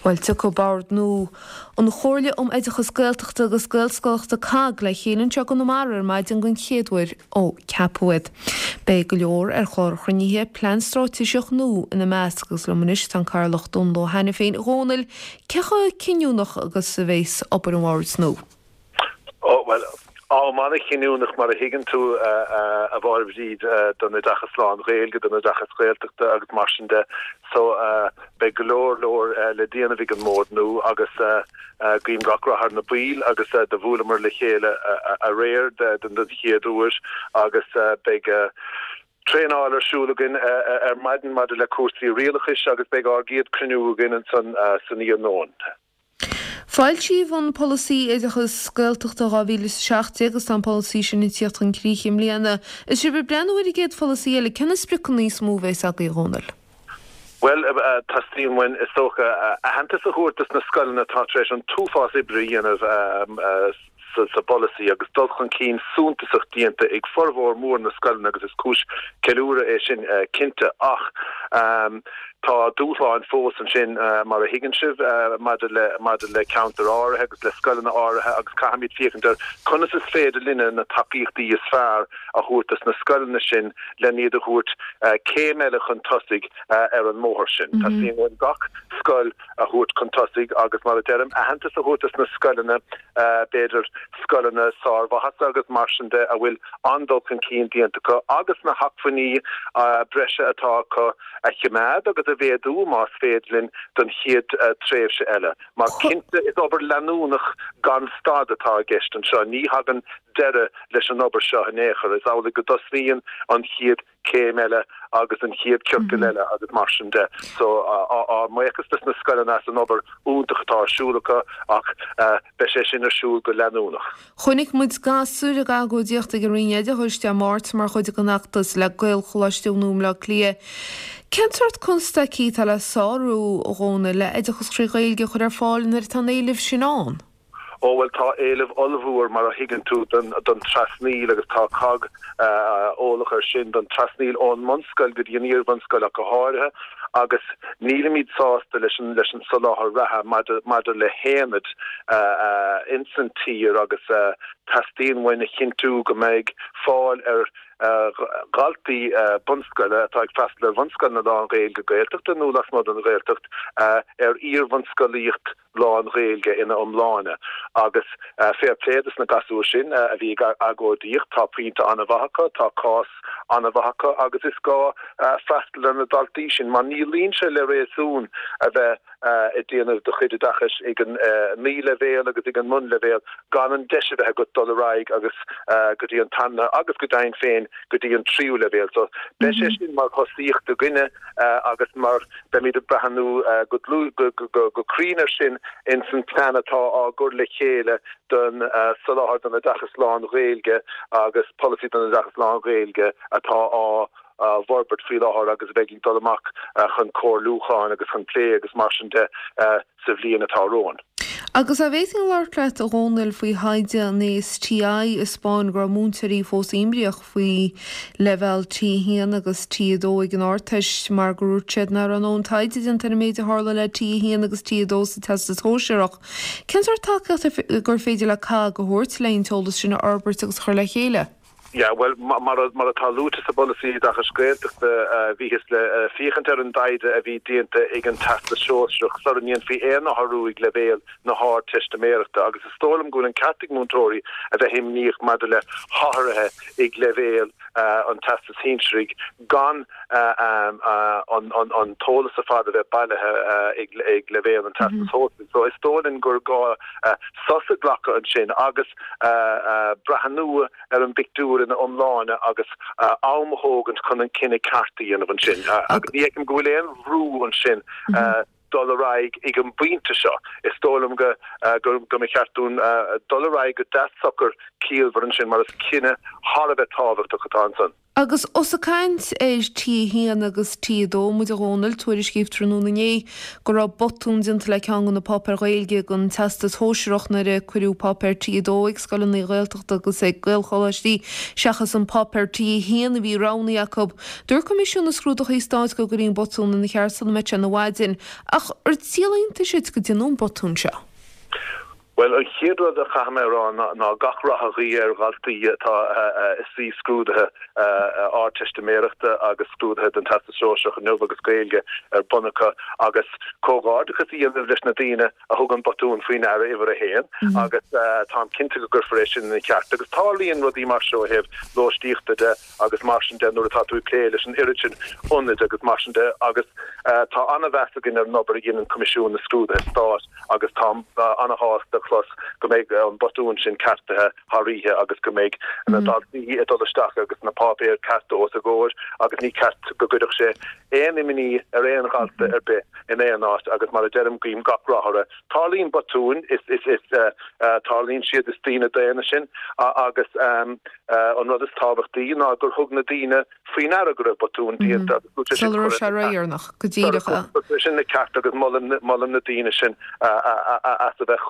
Bhuel, tiocfaidh Bord nua an Chomhairle um Oideachas Gaeltachta agus Gaelscolaíochta, COGG, le chéile anseo i gConamara ar maidin den chéad uair ó ceapadh iad. Beidh go leor ar chlár an chruinnithe, plean straitéiseach nua ina measc agus liom anois tá an Cathaoirleach Dónal Ó hAiniféin. A Dhónaill, cé chomh cinniúnach agus a bheas obair an bhoird nua? Ó, bhuel, am an-chinniúnach mar a thuigeann tú, a Mháire Bhríd, don oideachas lán-Ghaeilge, don oideachas Gaeltachta agus mar sin de. So, beidh go leor leor le déanamh ag an mbord nua agus guím gach rath ar na baill agus do bhuaileamar le chéile aréir den chéad uair agus beidh traenáil ar siúl againn ar maidin maidir le cúrsaí rialachais agus beidh ár gcéad cruinniú againn ansan san iarnóin. Foilsíodh an Polasaí Oideachas Gaeltachta 2017 agus tá an polasaí sin ag tíocht chun críche i mbliana. Is sibh ag breathnú ar an gcéad pholasaí eile, cé na spriocanna is mó a bheas agaibh, a Dhónaill? Bhuel, teastaíonn uainn, is dócha, aitheantas a thabhairt dos na scoileanna atá tar éis an t-uafás oibre a dhéanamh sa bpolasaí agus dul chun cinn suntasach déanta ag formhór mór na scoileanna agus is cúis ceiliúradh é sin cinnte. Ach tá dúshláin fós ansin mar a thuigeann sibh maidir le maidir le ceantair áirithe agus le scoileanna áirithe agus caithfimid féachaint ar conas is féidir linne na tacaíochtaí is fearr a thabhairt dos na scoileanna sin len iad a thabhairt céim eile chun tosaigh ar an mbóthar sin. Teastaíonn uainn gach scoil a thabhairt chun tosaigh agus, mar a deirim, aitheantas a thabhairt dos na scoileanna, b'fhéidir scoileanna sármhaitheasa agus mar sin de, a bhfuil an-dul chun cinn déanta acu agus na hacmhainní breise atá acu a choimeád agus a mhéadú, más féidir linn, don chéad tréimhse eile. Mar cinnte, is obair leanúnach gan stad atá i gceist anseo. Ní thagann deireadh leis an obair seo in aon chor. Is amhlaidh go dtosnaíonn an chéad céim eile agus an chéad ciorcal eile agus mar sin de. So, ár mbuíochas dos na scoileanna as an obair iontach atá ar siúl acu ach beidh sé sin ar siúl go leanúnach. Chonaic muid gasúir ag agóidíocht ag an Roinn Oideachais Dé Máirt mar chuid den fheachtas le Gaelcholáiste a bhunú i mBleá Cliath. Cén sórt constaicí atá le sárú, a Dhónaill, le oideachas trí Ghaeilge a chur ar fáil nuair atá an éileamh sin ann? Ó bhuel tá éileamh ollmhór mar a thuigeann tú don don trasnaíl agus tá cogg eolach ar sin, don trasnaíl ón mbunscoil go dtí an iarbhunscoil ach go háirithe agus nílimid sásta leis an leis an soláthar reatha maidir maidir le haonaid ins an tír agus teastaíonn uainn a chinntiú go mbeidh fáil ar dhaltaí bunscoile atá ag freastal ar bhunscoileanna lán-Ghaeilge Gaeltachta nó lasmuigh den Ghaeltacht ar iarbhunscolaíocht lán-Ghaeilge ina iomláine. Agus fair play dos na gasúir sin a bhí ag agóidíocht, tá pointe an-mhaith acu, tá cás an-mhaith acu agus is gá freastal ar na daltaí sin mar ní luíonn sé le réasún a bheith ag déanamh do chuid oideachais ag an naíleibhéal agus ag an mbunleibhéal gan an deis a bheith agat dul ar aghaidh agus go dtí an tarna agus go deimhin féin go dtí an tríú leibhéal. So beidh sé sin mar thosaíocht againne agus mar Beimid ag breathnú go dlúth, go cruinn air sin ins an plean atá á gcur le chéile don soláthar don oideachas lán-Ghaeilge agus polasaí don oideachas lán-Ghaeilge atá á bhforbairt faoi láthair agus a bheidh ag dul amach chun comhairliúcháin agus chun plé agus mar sin de sa bhliain atá romhainn. Agus an bhféadfainn labhairt leat, a Dhónaill, faoi thaighde an ASTI a 'spáin go raibh múinteoirí fós imníoch faoi leibhéal T1 agus T2 ag an Ardteist mar gur dhúirt siad nach raibh a ndóthain taighde déanta ar an méid a tharla le T1 agus T2 sa Teastas Shóisearach. Cén sórt tacaíocht gur féidir le COGG a thabhairt le an t-eolas sin a fhorbairt agus a chur le chéile? Yeah, bhuel, mar atá luaite sa bPolasaí Oideachais Gaeltachta, bhíothas le féachaint ar an dtaighde a bhí déanta ag an Teastas Sóisearach sula ndéanfaí aon athrú ag leibhéal na hArdteistiméireachta agus is dóigh liom go bhfuil an ceart ag múinteoirí a bheith imníoch maidir le hathruithe ag leibhéal an Teastais Shinsearaigh gan an t-eolas ar fad a bheith bailithe ag leibhéal an Teastais Shóisearaigh. So is dóigh linn gur gá sos a ghlacadh ansin agus breathnú ar an bpictiúr ina iomláine agus am a thógaint chun an cinneadh ceart a dhéanamh ansin. Agus ní fheicim go bhfuil aon bhrú ansin dul ar aghaidh ag an bpointe seo. Is dóigh liom go go mba cheart dúinn dul ar aghaidh go deas socair ciallmhar ansin mar is cinneadh thar a bheith tábhachtach atá ansan. Agus ós ag caint ar T1 agus T2 muid a Dhónaill, tuairiscíodh tráthnóna inné go raibh botún déanta le ceann de na páipéir Ghaeilge don Teastas Shóisearach nuair a cuireadh páipéar T2 ag scoileanna Gaeltachta agus ag Gaelcholáistí seachas an páipéar T1 a bhí roghnaithe acu. Dúirt Coimisiún na Scrúduithe Stáit go gcuirfí an botún ina cheart sula mbeidh sé ina mhaidin. Ach ar díol iontais duit go déanadh an botún seo? Bhuel, an chéad rud a chaithfidh mé a rá ná gach rath a ghuí ar dhaltaí atá ag suí scrúduithe Ardteistiméireachta agus scrúduithe don Teastas Sóisearach inniu agus Gaeilge ar bun acu agus comhghairdeachas a dhéanamh leis na daoine a thug an botún faoi ndeara uimhir a haon agus táim cinnte go gcuirfear é sin ina cheart. Agus tarlaíonn rudaí mar seo ó thaobh lóistíochta de agus mar sin de nuair atá tú ag plé leis an oiread sin ionaid agus mar sin de agus tá an-mheas againn ar an obair a dhéanann Coimisiún na Scrúduithe Stáit agus táim an-shásta a chlos go mbeidh an botún sin ceartaithe thar oíche agus go mbeidh na daltaí ag dul isteach agus na páipéir cearta os a gcomhair agus ní ceart go gcuirfeadh sé aon imní ar aon dhalta ar bith in aon áit agus mar a deirim guím gach rath orthu. Tarlaíonn botúin, is, is, is, tarlaíonn siad, is daoine daonna sinn agus an rud is tábhachtaí ná gur thug na daoine faoi ndeara go raibh botún déanta agus go raibh sé sin Sula raibh sé ródheireanach, go díreach. Go raibh sé sin ina ceart agus molaim, molaim na daoine sin as a bheith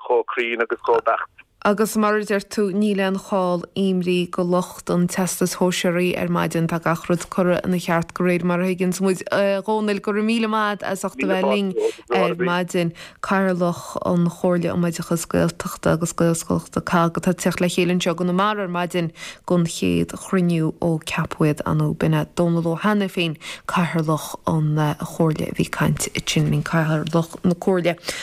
chomh cruinn agus chomh beacht. Agus mar a deir tú, níl aon chall imní go lucht an Teastais Shóisearaigh ar maidin. Tá gach rud curtha ina cheart go réir mar a thuigeanns muid. A Dhónaill, go raibh míle maith a't as ucht a bheith linn ar maidin. Cathaoirleach an Chomhairle um Oideachas Gaeltachta agus Gaelscolaíochta, COGG, atá ag teacht le chéile anseo i gConamara ar maidin don chéad chruinniú ó ceapadh iad. Ar ndóigh, b'in é Dónal Ó hAiniféin, Cathaoirleach an Chomhairle a bhí ag caint ansin linn, Cathaoirleach na Comhairle.